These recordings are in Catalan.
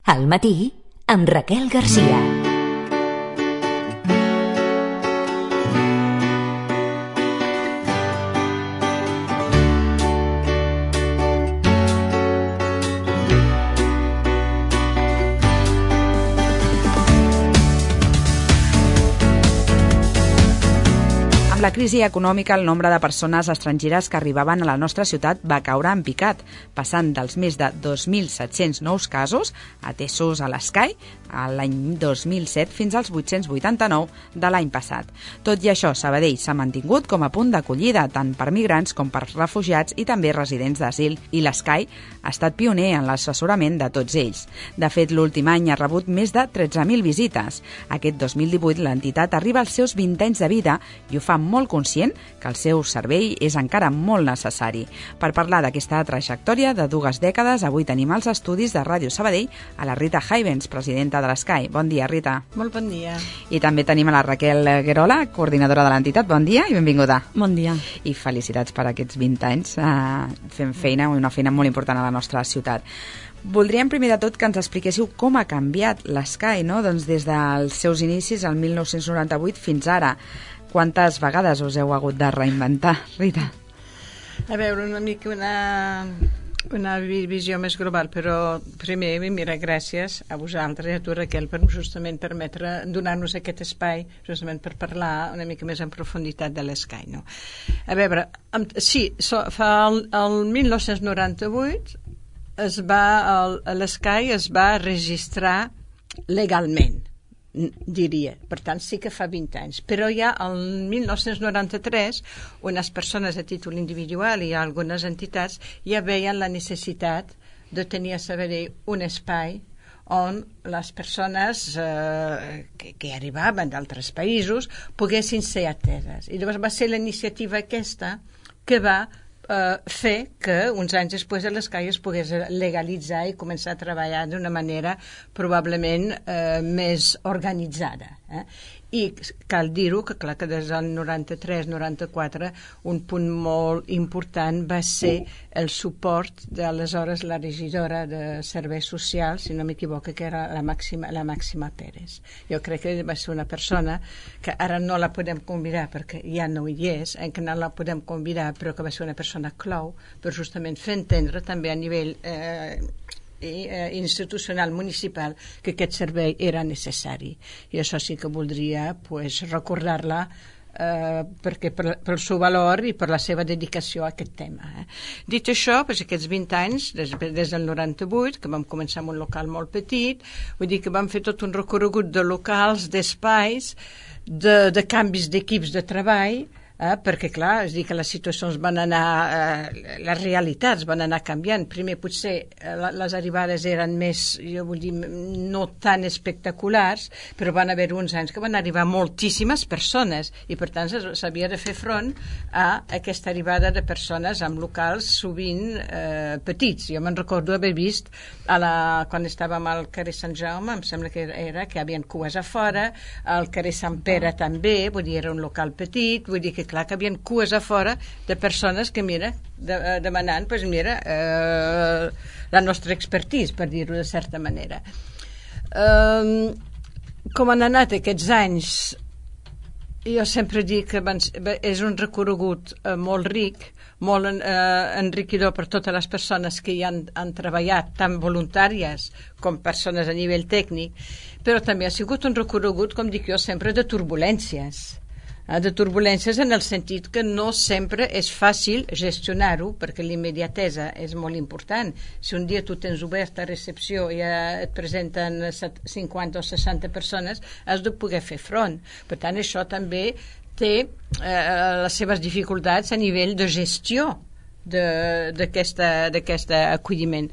Al matí, amb Raquel Garcia. Amb la crisi econòmica, el nombre de persones estrangeres que arribaven a la nostra ciutat va caure en picat, passant dels més de 2.700 nous casos atesos a l'Sky l'any 2007 fins als 889 de l'any passat. Tot i això, Sabadell s'ha mantingut com a punt d'acollida tant per migrants com per refugiats i també residents d'asil, i l'Sky ha estat pioner en l'assessorament de tots ells. De fet, l'últim any ha rebut més de 13.000 visites. Aquest 2018 l'entitat arriba als seus 20 anys de vida i ho fa molt conscient que el seu servei és encara molt necessari. Per parlar d'aquesta trajectòria de 2 dècades, avui tenim als estudis de Ràdio Sabadell a la Rita Haivens, presidenta de l'Sky. Bon dia, Rita. Molt bon dia. I també tenim a la Raquel Guerola, coordinadora de l'entitat. Bon dia i benvinguda. Bon dia. I felicitats per aquests 20 anys fent feina, una feina molt important a la nostra ciutat. Voldríem primer de tot que ens expliquéssiu com ha canviat l'Sky, no? Doncs des dels seus inicis, el 1998, fins ara. Quantes vegades us heu hagut de reinventar, Rita? A veure, una mica una visió més global, però primer, mira, gràcies a vosaltres i a tu, Raquel, per justament permetre donar-nos aquest espai justament per parlar una mica més en profunditat de l'Sky, no? A veure, sí, fa el 1998 l'Sky es va registrar legalment, diria. Per tant, sí que fa 20 anys. Però ja el 1993, unes persones a títol individual i algunes entitats ja veien la necessitat de tenir a Sabadell un espai on les persones que arribaven d'altres països poguessin ser ateses. I llavors va ser la iniciativa aquesta que va fer que uns anys després de l'Sky es pogués legalitzar i començar a treballar d'una manera probablement més organitzada. I cal dir-ho que, clar, que des del 93-94 un punt molt important va ser el suport de aleshores la regidora de Serveis Socials, si no m'equivoco, que era la Màxima Pérez. Jo crec que va ser una persona que ara no la podem convidar perquè ja no hi és, que no la podem convidar, però que va ser una persona clau per justament fer entendre també a nivell institucional municipal que aquest servei era necessari, i això sí que voldria recordar-la perquè pel seu valor i per la seva dedicació a aquest tema. Dit això, aquests 20 anys des del 98, que vam començar amb un local molt petit, vull dir que vam fer tot un recorregut de locals, d'espais, de canvis d'equips de treball, perquè clar, és dir que les situacions van anar, les realitats van anar canviant. Primer potser les arribades eren més, jo vull dir, no tan espectaculars, però van haver uns anys que van arribar moltíssimes persones i per tant s'havia de fer front a aquesta arribada de persones amb locals sovint petits. Jo me'n recordo haver vist quan estàvem al carrer Sant Jaume, em sembla que era que hi havia cues a fora, al carrer Sant Pere també, vull dir, era un local petit, vull dir que clar que hi havia cues a fora de persones que, mira, demanant, la nostra expertise, per dir-ho de certa manera. Com han anat aquests anys? Jo sempre dic que és un recorregut molt ric, molt enriquidor per totes les persones que hi han treballat, tant voluntàries com persones a nivell tècnic, però també ha sigut un recorregut, com dic jo sempre, de turbulències en el sentit que no sempre és fàcil gestionar-ho, perquè l'immediatesa és molt important. Si un dia tu tens obert a recepció i et presenten 50 o 60 persones, has de poder fer front. Per tant, això també té les seves dificultats a nivell de gestió d'aquest acolliment.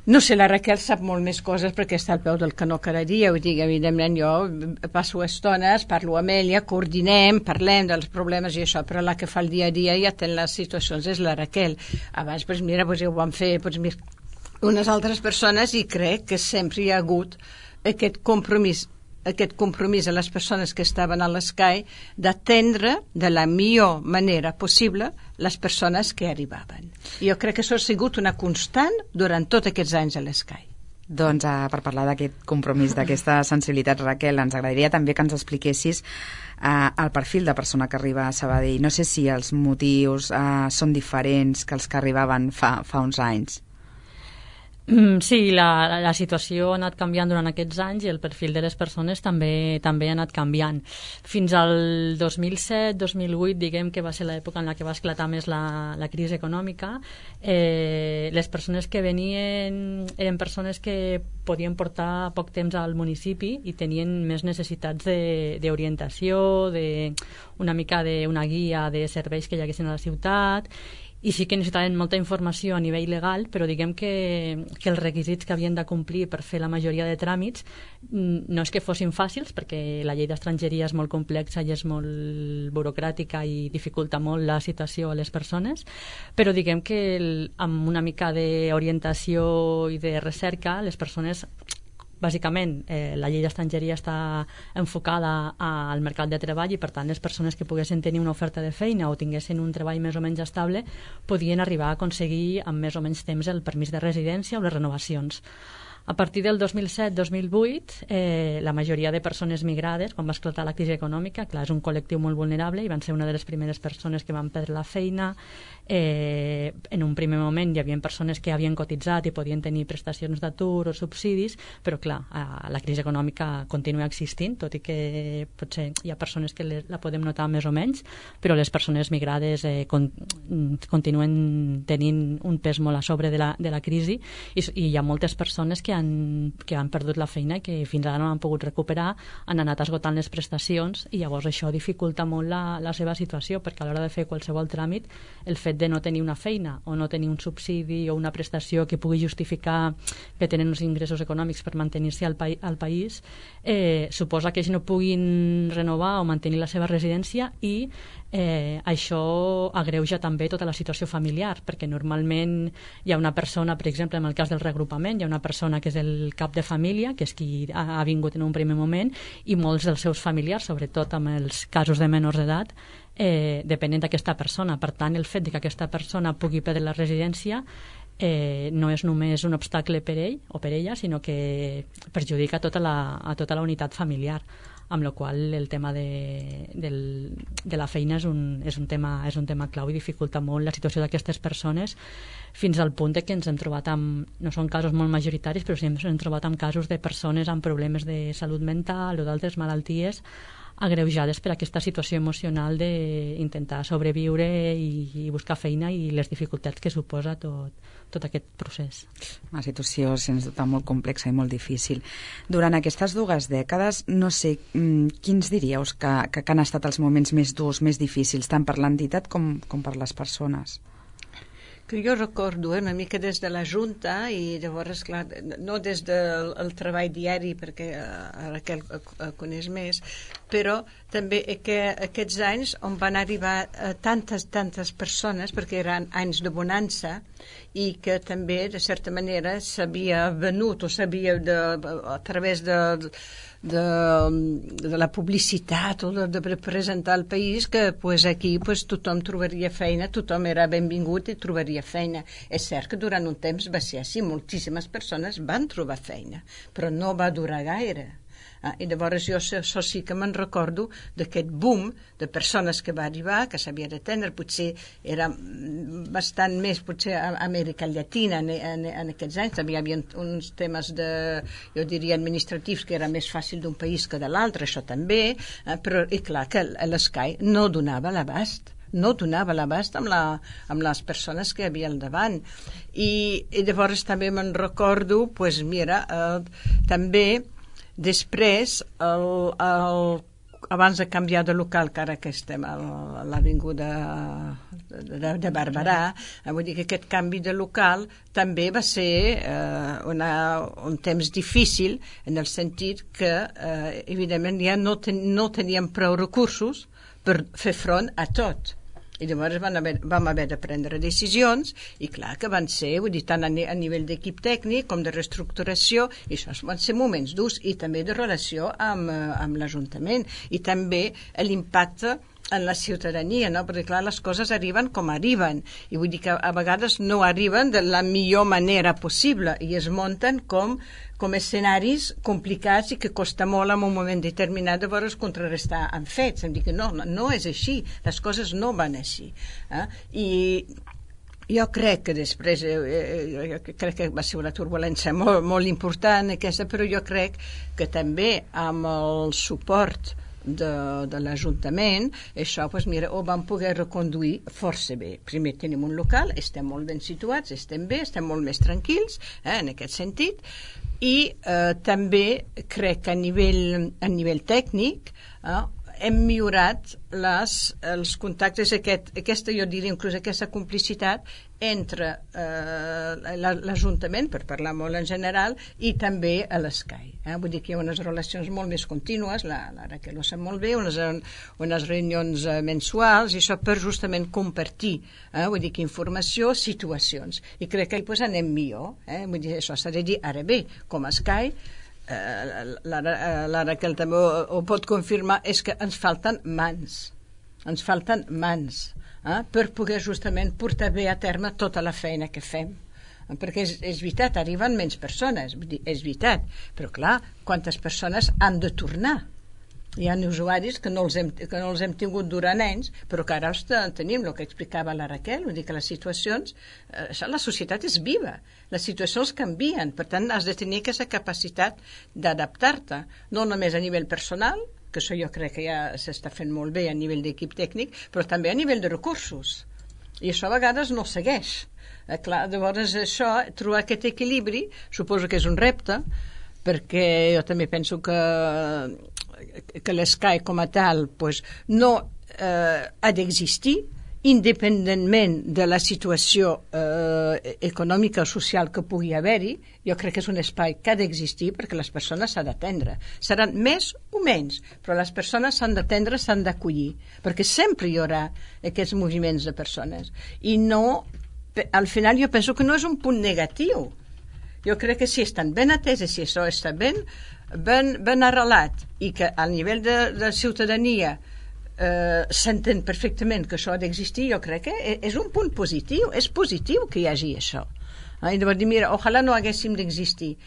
No sé, la Raquel sap molt més coses perquè està al peu del canó cada dia. Vull dir, evidentment, jo passo estones, parlo amb ella, coordinem, parlem dels problemes i això, però la que fa el dia a dia i atén les situacions és la Raquel. Abans, mira, ho van fer unes altres persones i crec que sempre hi ha hagut aquest compromís a les persones que estaven a l'Sky d'atendre de la millor manera possible les persones que arribaven. I jo crec que això ha sigut una constant durant tots aquests anys a l'Sky. Doncs per parlar d'aquest compromís, d'aquesta sensibilitat, Raquel, ens agradaria també que ens expliquessis el perfil de persona que arriba a Sabadell. No sé si els motius són diferents que els que arribaven fa uns anys. Sí, la situació ha anat canviant durant aquests anys i el perfil de les persones també ha anat canviant. Fins al 2007-2008, diguem que va ser l'època en la que va esclatar més la crisi econòmica, les persones que venien eren persones que podien portar poc temps al municipi i tenien més necessitats d'orientació, una mica d'una guia de serveis que hi haguessin a la ciutat, i sí que necessitaven molta informació a nivell legal, però diguem que els requisits que havien de complir per fer la majoria de tràmits no és que fossin fàcils, perquè la llei d'estrangeria és molt complexa i és molt burocràtica i dificulta molt la situació a les persones, però diguem que amb una mica d'orientació i de recerca les persones... Bàsicament, la llei d'estrangeria està enfocada al mercat de treball i, per tant, les persones que poguessin tenir una oferta de feina o tinguessin un treball més o menys estable podien arribar a aconseguir amb més o menys temps el permís de residència o les renovacions. A partir del 2007-2008, la majoria de persones migrades, quan va esclatar la crisi econòmica, clar, és un col·lectiu molt vulnerable i van ser una de les primeres persones que van perdre la feina. En un primer moment hi havia persones que havien cotitzat i podien tenir prestacions d'atur o subsidis, però clar, la crisi econòmica continua existint, tot i que potser hi ha persones que la podem notar més o menys, però les persones migrades continuen tenint un pes molt a sobre de la crisi i hi ha moltes persones que han perdut la feina i que fins ara no han pogut recuperar, han anat esgotant les prestacions i llavors això dificulta molt la seva situació, perquè a l'hora de fer qualsevol tràmit el fet de no tenir una feina o no tenir un subsidi o una prestació que pugui justificar que tenen uns ingressos econòmics per mantenir-se al país suposa que ells no puguin renovar o mantenir la seva residència i això agreuja també tota la situació familiar, perquè normalment hi ha una persona, per exemple, en el cas del reagrupament, hi ha una persona que és el cap de família, que és qui ha vingut en un primer moment, i molts dels seus familiars, sobretot amb els casos de menors d'edat, depenen d'aquesta persona. Per tant, el fet que aquesta persona pugui perdre la residència no és només un obstacle per ell o per ella, sinó que perjudica tota la unitat familiar, amb la qual el tema de la feina és un tema clau i dificulta molt la situació d'aquestes persones, fins al punt que ens hem trobat no són casos molt majoritaris, però sí ens hem trobat amb casos de persones amb problemes de salut mental o d'altres malalties agreujades per aquesta situació emocional d'intentar sobreviure i buscar feina i les dificultats que suposa tot aquest procés. Una situació sens dubte molt complexa i molt difícil. Durant aquestes 2 dècades, no sé, quins diríeu que han estat els moments més durs, més difícils, tant per l'entitat com per les persones? Que jo recordo una mica des de la Junta i llavors, clar, no des del treball diari, perquè Raquel coneix més, però també que aquests anys on van arribar tantes persones, perquè eren anys de bonança i que també, de certa manera, s'havia venut o s'havia a través de la publicitat o de presentar el país que aquí tothom trobaria feina, tothom era benvingut i trobaria feina. És cert que durant un temps va ser així, moltíssimes persones van trobar feina, però no va durar gaire. I llavors jo això sí que me'n recordo d'aquest boom de persones que va arribar, que s'havia d'atendre, potser era bastant més potser a Amèrica Llatina en aquests anys, també hi havia uns temes jo diria administratius que era més fàcil d'un país que de l'altre, això també, però i clar que l'Sky no donava l'abast amb les persones que hi havia al davant i llavors també me'n recordo també després, abans de canviar de local, que ara que estem a l'avinguda de Barberà, vull dir que aquest canvi de local també va ser un temps difícil, en el sentit que, evidentment, ja no teníem prou recursos per fer front a tot. I llavors vam haver de prendre decisions i clar que van ser, vull dir, tant a nivell d'equip tècnic com de reestructuració, i això van ser moments durs i també de relació amb l'Ajuntament i també l'impacte en la ciutadania, no? Perquè clar, les coses arriben com arriben, i vull dir que a vegades no arriben de la millor manera possible i es munten com escenaris complicats i que costa molt en un moment determinat de veure's contrarrestar amb fets. Em dic que no és així, les coses no van així. I jo crec que després, crec que va ser una turbulència molt, molt important aquesta, però jo crec que també amb el suport de l'Ajuntament, això, doncs mira, ho vam poder reconduir força bé. Primer tenim un local, estem molt ben situats, estem bé, estem molt més tranquils, en aquest sentit, i també crec que a nivell tècnic hem millorat els contactes, aquesta, jo diria, inclús aquesta complicitat entre l'Ajuntament, per parlar molt en general, i també a l'Escai. Vull dir que hi ha unes relacions molt més contínues, la Raquel ho sap molt bé, unes reunions mensuals, i això per justament compartir, vull dir que informació, situacions. I crec que doncs anem millor. Vull dir, això s'ha de dir ara bé, com a Escai, la Raquel també ho pot confirmar, és que ens falten mans per poder justament portar bé a terme tota la feina que fem, perquè és veritat, arriben menys persones, és veritat, però clar, quantes persones han de tornar? Hi ha usuaris que no els hem tingut durant anys, però que ara tenim el que explicava la Raquel, vull dir que les situacions, la societat és viva, les situacions canvien, per tant has de tenir aquesta capacitat d'adaptar-te, no només a nivell personal, que això jo crec que ja s'està fent molt bé a nivell d'equip tècnic, però també a nivell de recursos, i això a vegades no segueix. Clar, llavors això, trobar aquest equilibri, suposo que és un repte, perquè jo també penso que l'Escai com a tal pues, no ha d'existir independentment de la situació econòmica o social que pugui haver-hi. Jo crec que és un espai que ha d'existir perquè les persones s'han d'atendre. Seran més o menys, però les persones s'han d'atendre, s'han d'acollir, perquè sempre hi haurà aquests moviments de persones. I no, al final jo penso que no és un punt negatiu. Jo crec que si estan ben ateses, si això està ben arrelat i que al nivell de ciutadania s'entén perfectament que això ha d'existir, jo crec que és un punt positiu, és positiu que hi hagi això. I llavors dir, mira, ojalà no haguéssim d'existir.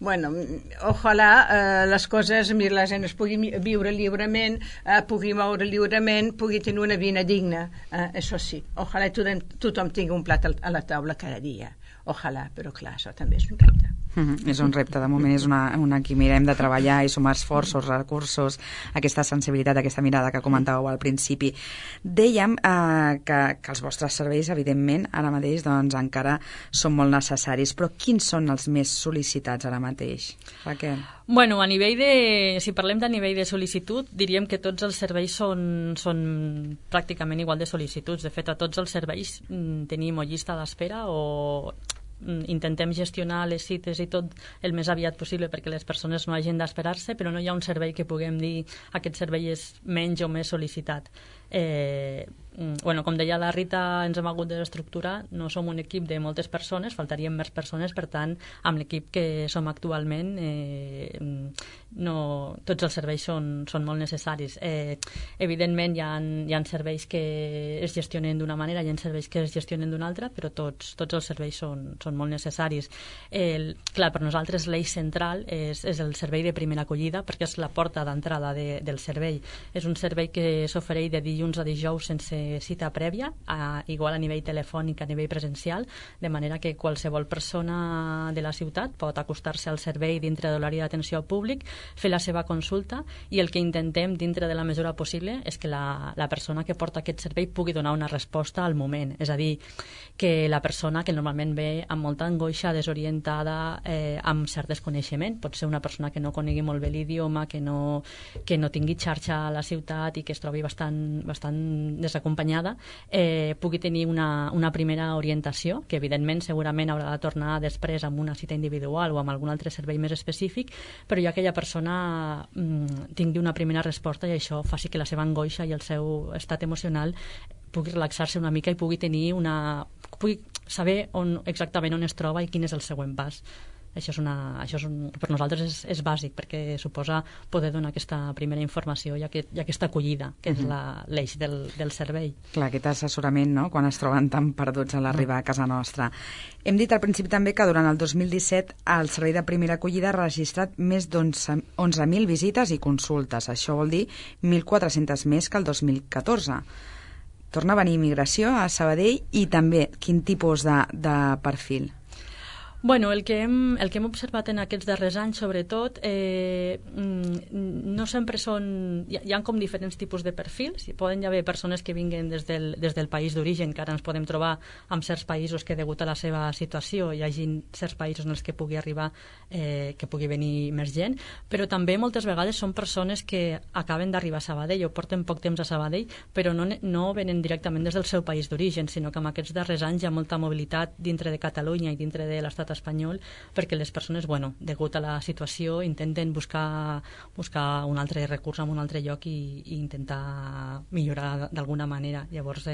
Bueno, ojalà les coses, mira, la gent es pugui viure lliurement, pugui moure lliurement, pugui tenir una vida digna, això sí. Ojalà tothom tingui un plat a la taula cada dia. Ojalà, però clar, això també és un repte. És un repte, de moment és una que mirem de treballar i sumar esforços, recursos, aquesta sensibilitat, aquesta mirada que comentàveu al principi. Dèiem que els vostres serveis, evidentment, ara mateix doncs, encara són molt necessaris, però quins són els més sol·licitats ara mateix, Raquel? Bueno, si parlem de nivell de sol·licitud, diríem que tots els serveis són pràcticament igual de sol·licituds. De fet, a tots els serveis tenim o llista d'espera o intentem gestionar les cites i tot el més aviat possible perquè les persones no hagin d'esperar-se, però no hi ha un servei que puguem dir aquest servei és menys o més sol·licitat. Com deia la Rita, ens hem hagut d'estructurar, no som un equip de moltes persones, faltarien més persones, per tant, amb l'equip que som actualment tots els serveis són molt necessaris. Evidentment hi ha serveis que es gestionen d'una manera, hi ha serveis que es gestionen d'una altra, però tots els serveis són molt necessaris. Clar, per nosaltres l'eix central és el servei de primera acollida, perquè és la porta d'entrada del servei. És un servei que s'ofereix de dilluns a dijous sense cita prèvia, igual a nivell telefònic, a nivell presencial, de manera que qualsevol persona de la ciutat pot acostar-se al servei dintre de l'horari d'atenció al públic, fer la seva consulta, i el que intentem dintre de la mesura possible és que la persona que porta aquest servei pugui donar una resposta al moment. És a dir, que la persona que normalment ve amb molta angoixa, desorientada, amb cert desconeixement, pot ser una persona que no conegui molt bé l'idioma, que no tingui xarxa a la ciutat i que es trobi bastant desacompanyada, pugui tenir una primera orientació, que evidentment segurament haurà de tornar després amb una cita individual o amb algun altre servei més específic, però ja aquella persona tingui una primera resposta i això faci que la seva angoixa i el seu estat emocional pugui relaxar-se una mica i pugui saber exactament on es troba i quin és el següent pas. Això per nosaltres és bàsic, perquè suposa poder donar aquesta primera informació i aquesta acollida, que és l'eix del servei. Clar, aquest assessorament, no?, quan es troben tan perduts a l'arribar a casa nostra. Hem dit al principi també que durant el 2017 el Servei de Primera Acollida ha registrat més d'11.000 visites i consultes. Això vol dir 1.400 més que el 2014. Torna a venir immigració a Sabadell i també quin tipus de perfil? Bueno, el que hem observat en aquests darrers anys, sobretot, no sempre són... Hi ha com diferents tipus de perfils. Poden haver persones que vinguen des del país d'origen, que ara ens podem trobar en certs països que, degut a la seva situació, hi hagi certs països en els que pugui arribar, que pugui venir més gent, però també moltes vegades són persones que acaben d'arribar a Sabadell o porten poc temps a Sabadell, però no venen directament des del seu país d'origen, sinó que en aquests darrers anys hi ha molta mobilitat dintre de Catalunya i dintre de l'estat espanyol, perquè les persones, degut a la situació, intenten buscar un altre recurs en un altre lloc i intentar millorar d'alguna manera. Llavors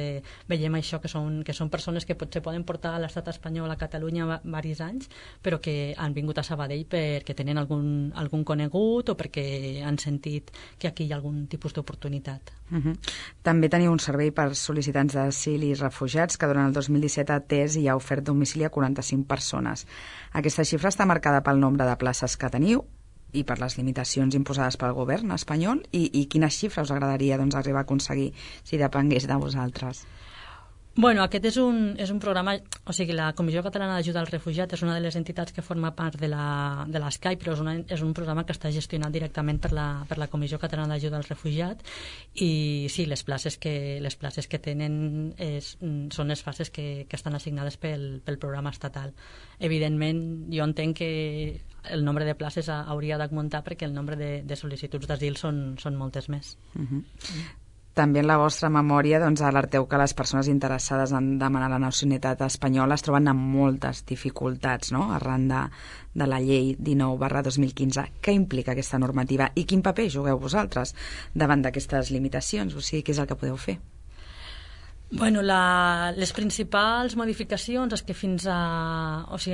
veiem això, que són persones que potser poden portar a l'estat espanyol a Catalunya diversos anys, però que han vingut a Sabadell perquè tenen algun conegut o perquè han sentit que aquí hi ha algun tipus d'oportunitat. També teniu un servei per sol·licitants d'asil i refugiats que durant el 2017 ha atès i ha ofert domicili a 45 persones. Aquesta xifra està marcada pel nombre de places que teniu i per les limitacions imposades pel govern espanyol i quina xifra us agradaria arribar a aconseguir si depengués de vosaltres? Bueno, aquest és un programa, o sigui, la Comissió Catalana d'Ajuda als Refugiats és una de les entitats que forma part de l'SCAI, però és un programa que està gestionat directament per la Comissió Catalana d'Ajuda als Refugiats i sí, les places que tenen són les places que estan assignades pel programa estatal. Evidentment, jo entenc que el nombre de places hauria d'augmentar perquè el nombre de sol·licituds d'asil són moltes més. També en la vostra memòria alerteu que les persones interessades en demanar la nacionalitat espanyola es troben amb moltes dificultats, no?, arran de la llei 19/2015. Què implica aquesta normativa i quin paper jugueu vosaltres davant d'aquestes limitacions? O sigui, què és el que podeu fer? Bueno, les principals modificacions és que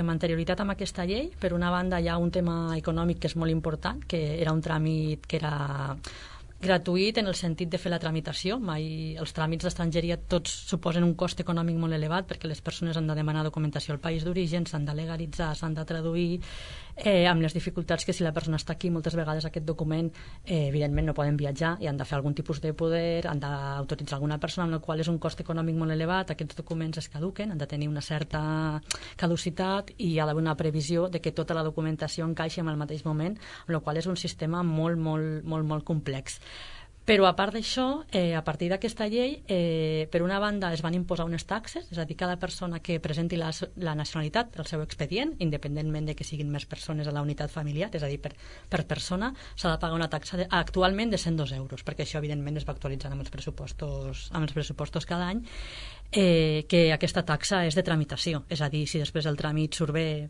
amb anterioritat amb aquesta llei, per una banda hi ha un tema econòmic que és molt important, que era un tràmit que era gratuït en el sentit de fer la tramitació. Mai els tràmits d'estrangeria tots suposen un cost econòmic molt elevat perquè les persones han de demanar documentació al país d'origen, s'han de legalitzar, s'han de traduir, amb les dificultats que si la persona està aquí moltes vegades aquest document evidentment no poden viatjar i han de fer algun tipus de poder, han d'autoritzar alguna persona, amb la qual és un cost econòmic molt elevat. Aquests documents es caduquen, han de tenir una certa caducitat i hi ha d'haver una previsió de que tota la documentació encaixi en el mateix moment, amb la qual és un sistema molt, molt, molt, molt complex. Però a part d'això, a partir d'aquesta llei, per una banda es van imposar unes taxes, és a dir, cada persona que presenti la nacionalitat del seu expedient, independentment de que siguin més persones a la unitat familiar, és a dir, per persona, s'ha de pagar una taxa actualment de 102 euros, perquè això evidentment es va actualitzant amb els pressupostos cada any, que aquesta taxa és de tramitació, és a dir, si després el tràmit surt bé,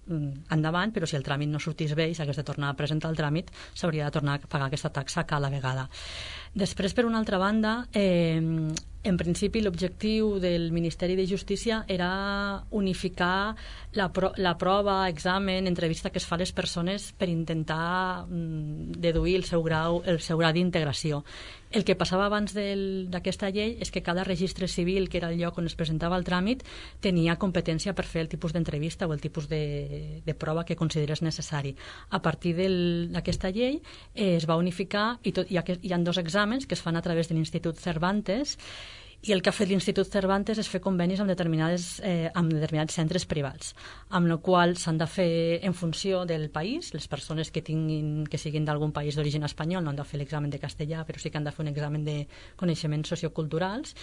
endavant, però si el tràmit no sortís bé i s'hagués de tornar a presentar el tràmit, s'hauria de tornar a pagar aquesta taxa cada vegada. Després, per una altra banda, en principi l'objectiu del Ministeri de Justícia era unificar la prova, examen, entrevista que es fa a les persones per intentar deduir el seu grau d'integració. El que passava abans d'aquesta llei és que cada registre civil, que era el lloc on es presentava el tràmit, tenia competència per fer el tipus d'entrevista o el tipus de prova que considerés necessari. A partir d'aquesta llei es va unificar i hi ha dos exàmens que es fan a través de l'Institut Cervantes, i el que ha fet l'Institut Cervantes és fer convenis amb determinats centres privats, amb la qual s'han de fer en funció del país. Les persones que siguin d'algun país d'origen espanyol no han de fer l'examen de castellà, però sí que han de fer un examen de coneixements socioculturals,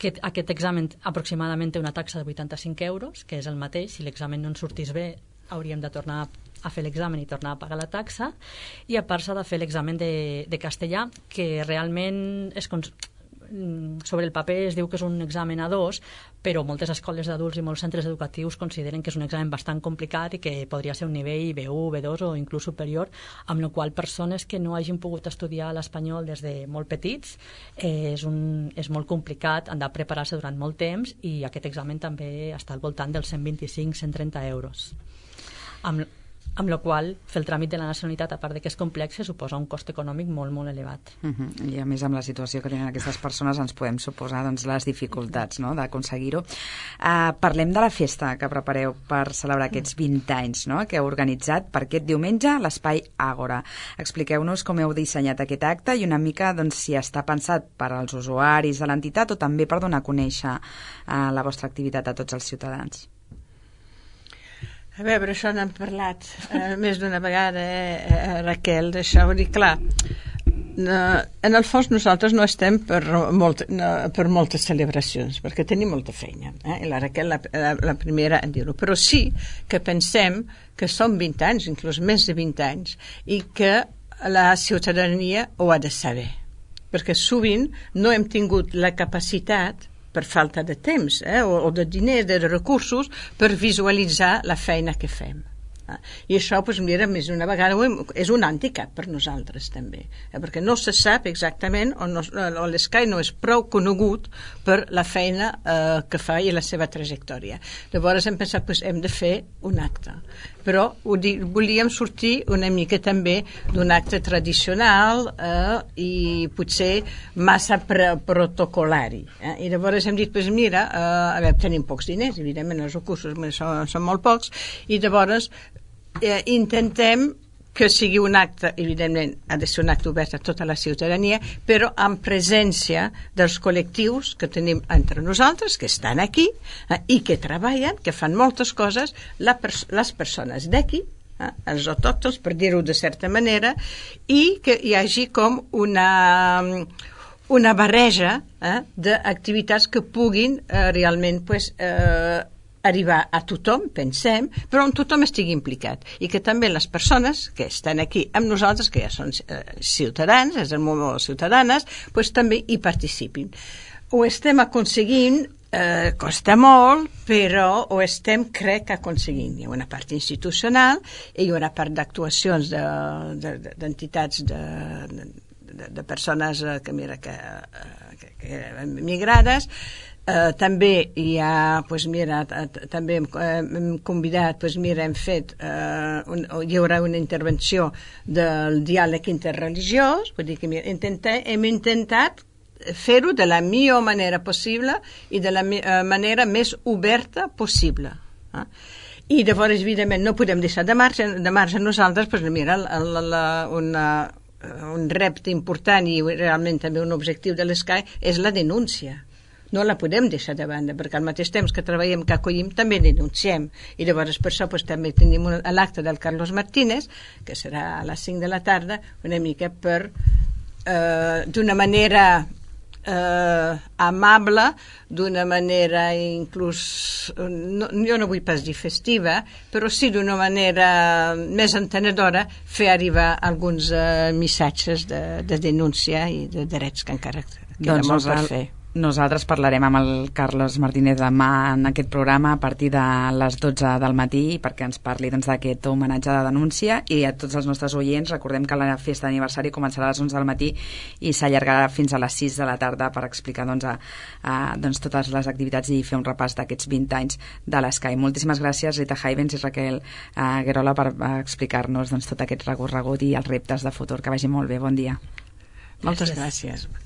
que aquest examen aproximadament té una taxa de 85 euros, que és el mateix. Si l'examen no ens sortís bé, hauríem de tornar a fer l'examen i tornar a pagar la taxa, i a part s'ha de fer l'examen de castellà, que realment sobre el paper es diu que és un examen A2, però moltes escoles d'adults i molts centres educatius consideren que és un examen bastant complicat i que podria ser un nivell B1, B2 o inclús superior, amb la qual persones que no hagin pogut estudiar l'espanyol des de molt petits és molt complicat, han de preparar-se durant molt temps, i aquest examen també està al voltant dels 125-130 euros. amb la qual fer el tràmit de la nacionalitat, a part de que és complex, suposa un cost econòmic molt, molt elevat. I a més amb la situació que tenen aquestes persones ens podem suposar doncs, les dificultats, no?, d'aconseguir-ho. Parlem de la festa que prepareu per celebrar aquests 20 anys, no?, que heu organitzat per aquest diumenge a l'Espai Àgora. Expliqueu-nos com heu dissenyat aquest acte i una mica doncs, si està pensat per als usuaris de l'entitat o també per donar a conèixer la vostra activitat a tots els ciutadans. A veure, això n'hem parlat més d'una vegada, Raquel, d'això. Vull dir, clar, en el fons nosaltres no estem per moltes celebracions, perquè tenim molta feina. I la Raquel, la primera en dir-ho. Però sí que pensem que són 20 anys, inclús més de 20 anys, i que la ciutadania ho ha de saber. Perquè sovint no hem tingut la capacitat, per falta de temps o de diners, de recursos, per visualitzar la feina que fem. I això, doncs, mira, més d'una vegada és un hàndicap per nosaltres també, perquè no se sap exactament o l'Escai no és prou conegut per la feina que fa i la seva trajectòria. Llavors hem pensat que hem de fer un acte, però volíem sortir una mica també d'un acte tradicional i potser massa protocolari. I llavors hem dit, doncs mira, tenim pocs diners, evidentment els recursos són molt pocs, i llavors intentem que sigui un acte, evidentment ha de ser un acte obert a tota la ciutadania, però amb presència dels col·lectius que tenim entre nosaltres, que estan aquí i que treballen, que fan moltes coses, les persones d'aquí, els autòctons, per dir-ho de certa manera, i que hi hagi com una barreja d'activitats que puguin realment arribar a tothom, pensem, però on tothom estigui implicat i que també les persones que estan aquí amb nosaltres, que ja són ciutadans, és el moment de ciutadanes, doncs també hi participin. Ho estem aconseguint, costa molt, però ho estem, crec, aconseguint. Hi ha una part institucional i hi ha una part d'actuacions d'entitats de persones que migrades. També hi ha, doncs mira, també hem convidat, doncs mira, hem fet, hi haurà una intervenció del diàleg interreligiós, vull dir que hem intentat fer-ho de la millor manera possible i de la manera més oberta possible. I llavors, evidentment, no podem deixar de marge nosaltres, doncs mira, un repte important i realment també un objectiu de l'Escai és la denúncia. No la podem deixar de banda, perquè al mateix temps que treballem, que acollim, també denunciem. I llavors per això també tenim l'acte del Carlos Martínez, que serà a les 5 de la tarda, una mica per, d'una manera amable, d'una manera inclús, jo no vull pas dir festiva, però sí d'una manera més entenedora, fer arribar alguns missatges de denúncia i de drets que encara queda molt per fer. Nosaltres parlarem amb el Carlos Martínez demà en aquest programa a partir de les 12 del matí perquè ens parli d'aquest homenatge de denúncia, i a tots els nostres oients recordem que la festa d'aniversari començarà a les 11 del matí i s'allargarà fins a les 6 de la tarda per explicar totes les activitats i fer un repàs d'aquests 20 anys de l'Escai. Moltíssimes gràcies, Rita Heivens i Raquel Guerola, per explicar-nos tot aquest recorregut i els reptes de futur. Que vagi molt bé, bon dia. Moltes gràcies.